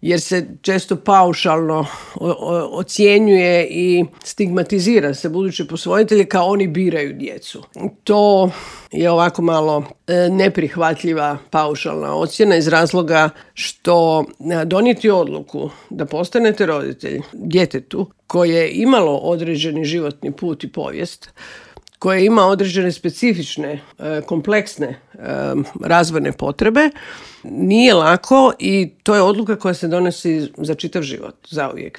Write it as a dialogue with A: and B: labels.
A: jer se često paušalno ocjenjuje i stigmatizira se buduće posvojitelje kao oni biraju djecu. To je ovako malo neprihvatljiva paušalna ocjena iz razloga što donijeti odluku da postanete roditelj djetetu koje je imalo određeni životni put i povijest, koje ima određene specifične, kompleksne razvojne potrebe, nije lako i to je odluka koja se donosi za čitav život, zauvijek.